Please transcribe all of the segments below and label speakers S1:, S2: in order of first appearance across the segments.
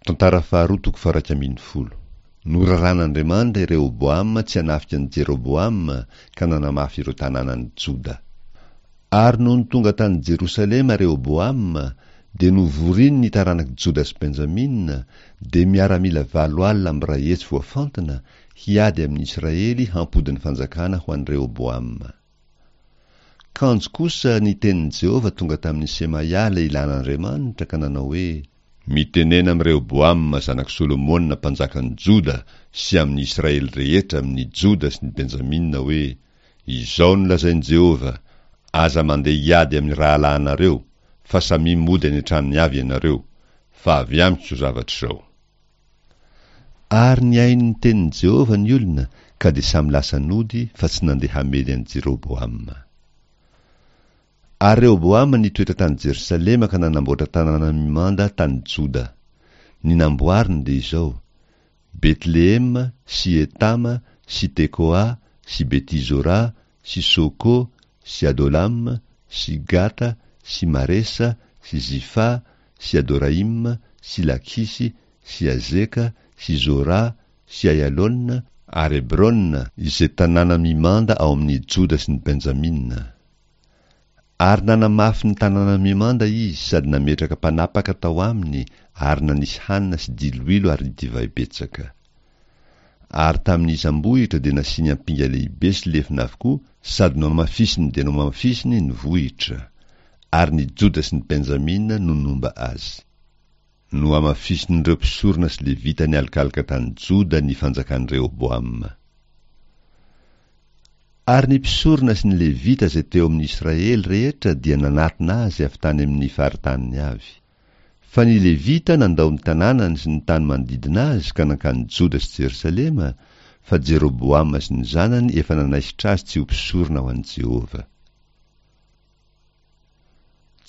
S1: Tantara faharoa toko faha-11. Noraran'Andriamanitra i Rehoboama tsy hanafika an'i Jeroboama ka nanamafy ireo tanànan'i Joda. Ary nony tonga tany Jerosalema Rehoboama, dia novoriny ny taranak'i Joda sy Benjamina, dia miaramila 180 voafantina, hiady amin'i Israely hampody ny fanjakana ho an'i Rehoboama. Kanjo kosa ny tenin'i Jehovah tonga tamin'i Semaia lehilahin'Andriamanitra ka nanao hoe, Mitenena amin'i Rehoboama zanak'i Solomona mpanjakan'i Joda sy amin'ny Israely rehetra amin'ny Joda sy ny Benjamina hoe, Izao no lazain'i Jehovah, Aza mandeha hiady amin'ny rahalahinareo, fa samia mody any an-tranony avy ianareo, fa avy amiko izao zavatra izao. Ary nihaino ny tenin'i Jehovah ny olona, ka dia samy lasa nody fa tsy nandeha hamely an'i Jeroboama. Ary Rehoboama nitoetra tany Jerosalema ka nanamboatra tanàna mimanda tany Joda. Ny namboariny dia izao, Betlehema sy Etama sy Tekoa sy Beti-zora sy Soko sy Adolama sy Gata sy Maresa sy Zifa sy Adoraima sy Lakisy sy Azeka sy Zora sy Aialona ary Hebrona, izay tanàna mimanda ao amin' ny Joda sy ny Benjamina. Ary nanamafy ny tanàna mimanda izy sady nametraka mpanapaka tao aminy ary nanisy hanina sy diloilo ary divay betsaka. Ary tamin' ny isam-bohitra dia nasiany ampinga lehibe sy lefona avokoa sady nohamafisiny dia nohamafisiny ny vohitra. Ary ny Joda sy ny Benjamina no nomba azy. Nohamafisin'ireo mpisorona sy Levita nialokaloka tany Joda ny fanjakan'i Rehoboama. Ary ny mpisorona sy ny Levita izay teo amin'ny Israely rehetra dia nanatona azy avy tany amin'ny faritaniny avy. Fa ny Levita nandao ny tanànany sy ny tany manodidina azy ka nankany Joda sy Jerosalema, fa Jeroboama sy ny zanany efa nanaisotra azy tsy ho mpisorona ho an'i Jehovah.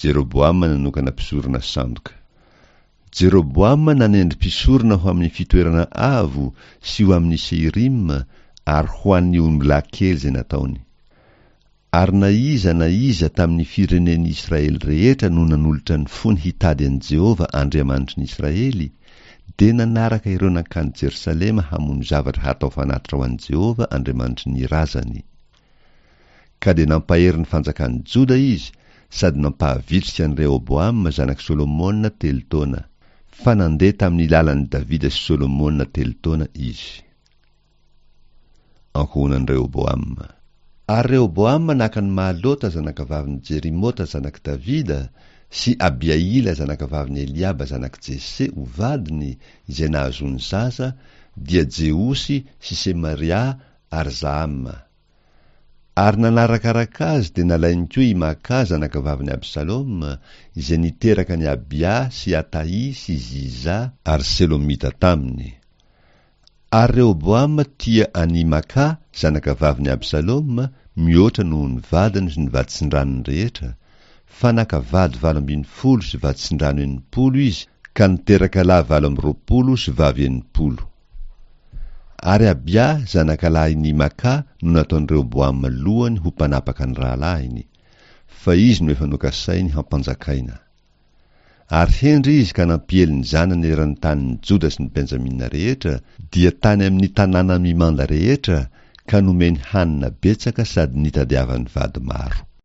S1: Jeroboama nanokana mpisorona sandoka. Jeroboama nanendry mpisorona ho amin'ny fitoerana avo sy ho amin'ny Seirima ary ho an'ny ombilahy kely izay nataony. Ary na iza na iza tamin'ny firenen'i Israely rehetra no nanolotra ny fony hitady an'i Jehovah Andriamanitry ny Israely, dia nanaraka ireo nankany Jerosalema hamono zavatra hatao fanatitra ho an'i Jehovah Andriamanitry ny razany. Ka dia nampahery ny fanjakan'i Joda izy sady nampahavitrika an'i Rehoboama zanak'i Solomona telo taona, fa nandeha tamin'ny lalan'i Davida sy Solomona telo taona izy. Ankohonan'i Rehoboama. Ary Rehoboama naka an'i Mahalota zanakavavin'i Jerimota zanak'i Davida sy Abihaila zanakavavin'i Eliaba zanak'i Jese ho vadiny, izay nahazoany zaza, dia Jeosy sy Semaria ary Zahama. Ary nanarakaraka azy dia nalainy koa i Maka zanakavavin'i Absaloma, izay niteraka an'i Abia sy Atahy sy Ziza ary Selomita taminy. Ary Rehoboama tia an'i Maka zanakavavin'i Absaloma mihoatra noho ny vadiny sy ny vaditsindranony rehetra, fa naka vady 18 sy vaditsindrano 60 izy ka niteraka lahy 28 sy vavy 60. Ary Abia zanakalahin'i Maka no nataon'i Rehoboama lohany ho mpanapaka ny rahalahiny, fa izy no efa nokasainy hampanjakaina. Ary hendry izy ka nampiely ny zanany eran'ny tanin'i Joda sy ny Benjamina rehetra, dia tany amin'ny tanàna mimanda rehetra, ka nomeny hanina betsaka sady nitadiavany vady maro.